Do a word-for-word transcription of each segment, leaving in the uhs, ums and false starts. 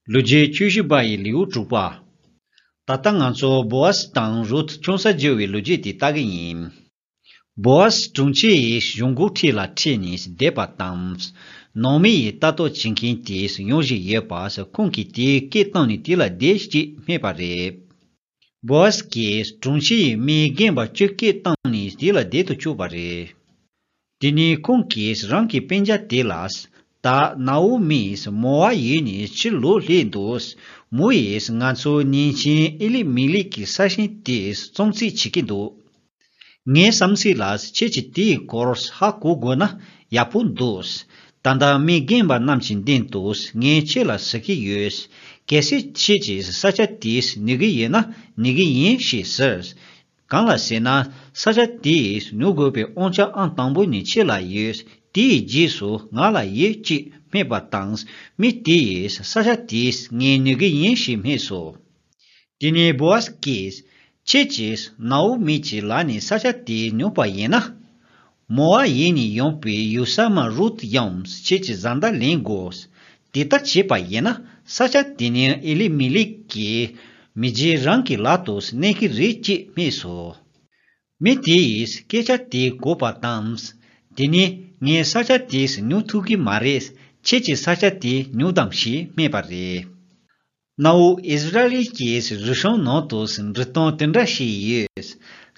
ལོ་རྒྱུས་བཅུ་བཞི་པ་ཡི་ལེའུ་དྲུག་པ། ད་ལྟ་ང་ཚོ་བོ་ཨཟ་དང་རུད་ཆུང་ས་བརྗེ་བའི་ལོ་རྒྱུས་དེ་ལྟ་གི་ཡིན། བོ་ཨཟ་དྲུང་ཆེ་ཡི་གཞུང་སྒོ་འཁྲིས་ལ་ཁྲིད་ནས་བསྡད་པ་དང་། ནང་མི་ཡི་ལྟ་རྟོག་བྱེད་མཁན་དེས་ཡོང་བཞིན་ཡོད་པ་ཁོང་གིས་དེའི་སྐད་བཏང་ནས་དེ་ལ་བསྡད་ཅེས་སྨྲས་པ་རེད། བོ་ཨཟ་གིས་དྲུང་ཆེ་ཡི་མི་རྒན་པ་བཅུ་སྐད་བཏང་ནས་དེ་ལ་བསྡད་དུ་བཅུག་པ་རེད། དེ་ནས་ཁོང་གིས་རང་གི་སྤུན་ཀྱག་དེ་ལ། ད་ནའོ་མིས་མོ་ཨབ་ཡུལ་ནས་ཕྱིར་ལོག་སླེབས་འདུག་མོ་ཡིས་ང་ཚོའི་གཉེན་ཆེན་ཨེ་ལི་མི་ལེག་གི་ས་ཞིང་དེ་བཙོང་རྩིས་བྱེད་ཀྱི་འདུག་ངའི་བསམ་ཚུལ་ལ་ཁྱེད་ཀྱིས་དེའི་སྐོར་ཧ་གོ་དགོས་ན་ཡག་པོ་འདུག་ད་ལྟ་མི་རྒན་པ་རྣམས་ཀྱི་མདུན་དུ་ངས་ཁྱེད་ལ་ཟེར་གྱི་ཡོད། གལ་སྲིད་ཁྱེད་ཀྱིས་ས་ཆ་དེ་ཉོ་གི་ཡོད་ན་ཉོ་གི་ཡིན་ཞེས་ཟེར། གང་ལ་ཟེར་ན་ས་ཆ་དེ་ཉོ་དགོས་པའི་དབང་ཆ་ཨང་དང་པོ་ནི་ཁྱེད་ལ་ཡོད། དེའི་རྗེས་སུ་ང་ལ་ཡོད་ཅེས་སྨྲས་པ་དང་མི་དེ་ཡིས་ས་ཆ་དེ་ངས་ཉོ་གི་ཡིན་ཞེས་སྨྲས་སོ། དེ་ནས་བོ་ཨཟ་གིས་ཁྱེད་ཀྱིས་ནའོ་མི་གྱི་ལག་ནས་ས་ཆ་དེ་ཉོས་པ་ཡིན་ན། མོ་ཨབ་ཡུལ་ནས་ཡོང་པའི་ཡུགས་ས་མ་རུད་ཡང་ཁྱེད་ཀྱི་བཟའ་ཟླ་ལེན་དགོས། དེ་ལྟར་བྱས་པ་ཡིན་ན་ས་ཆ་དེ་ནི་ཨེ་ལི་མི་ལེག་གི་མི་རྗེ་རང་གི་ལག་ཏུ་གནས་ཀྱི་རེད་ཅེས་སྨྲས་སོ། མི་དེ་ཡིས་སྐད་ཆ་དེ་གོ་བ་དང་། དེ་ནི་ངས་ས་ཆ་དེ་ཉོ་ཐུབ་ཀྱི་མ་རེད། ཁྱེད་ཀྱིས་ས་ཆ་དེ་ཉོ་དང་ཞེས་སྨྲས་པ་རེད། གནའ་བོ་ཨིསི་ར་ཨེལ་གྱི་རིག་གཞུང་ནང་དུ་འབྲི་སྟངས་དེ་འདྲ་ཞིག་ཡོད།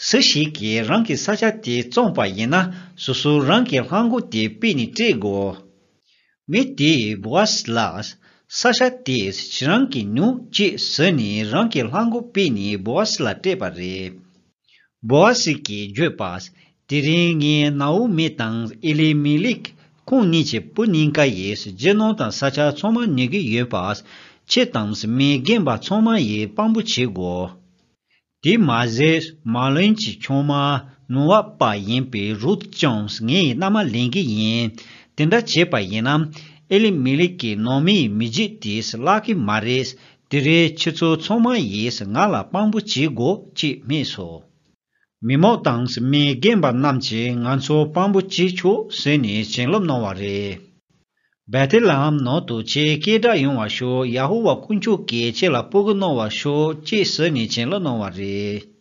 སུ་ཞིག་གིས་རང་གི་ས་ཆ་དེ་བཙོངས་པ་ཡིན་ན་སོ་སོ་རང་གི་ལྷམ་གོག་དེ་ཕུད་ནས་སྤྲད་དགོས། མི་དེས་བོ་ཨཟ་ལ། ས་ཆ་དེ་ཁྱེད་རང་གིས་ཉོ་ཅེས་ཟེར་ནས་རང་གི་ལྷམ་གོག་ཕུད་ནས་བོ་ཨཟ་ལ་སྤྲད་པ་རེད། བོ་ཨཟ་གིས་བརྗོད་པ། དེ་རིང་ངས་ནའོ་མི་དང་ཨེ་ལི་མི་ལེག་ཁོང་གཉིས་ཀྱི་བུ་གཉིས་ཀ་ཡི་རྒྱུ་ནོར་དང་ས་ཆ་ཚང་མ་ཉོ་གི་ཡོད་པ། ཁྱེད་དང་མི་རྒན་པ་ཚང་མ་ཡི་དཔང་པོ་བྱེད་དགོས། དེ་མ་ཟད་མ་ལོན་གྱི་ཆུང་མ་ནུ་བ་པ་ཡིན་པའི་རུད་ཀྱང་ངའི་མནའ་མ་ལེན་གྱི་ཡིན། དེ་འདྲ་བྱས་པ་ཡིན་ན་ཨེ་ལི་མི་ལེག་གི་ནང་མིའི་མི་རྒྱུད་དེ་བརླག་གི་མ་རེད། དེ་རེད་ཁྱེད་ཚོ་ཚང་མ་ཡིས་ང་ལ་དཔང་པོ་བྱེད་དགོས་ཅེས་སྨྲས་སོ། མི་མང་དང་མི་རྒན་པ་རྣམས་ཀྱིས་ང་ཚོ་དཔང་པོ་བྱེད་ཆོག་ཟེར་ནས་བྱིན་རླབས་གནང་བ་རེད། བེ་ཐེ་ལེ་ཧེམ་ནང་དུ་ཆེས་སྐད་གྲགས་ཡོང་བར་ཤོག་ཡ་ཧོ་ཝཱ་དཀོན་མཆོག་གིས་ཁྱེད་ལ་སྤོ་སྒྱུར་གནང་བར་ཤོག་ཅེས་ཟེར་ནས་བྱིན་རླབས་གནང་བ་རེད།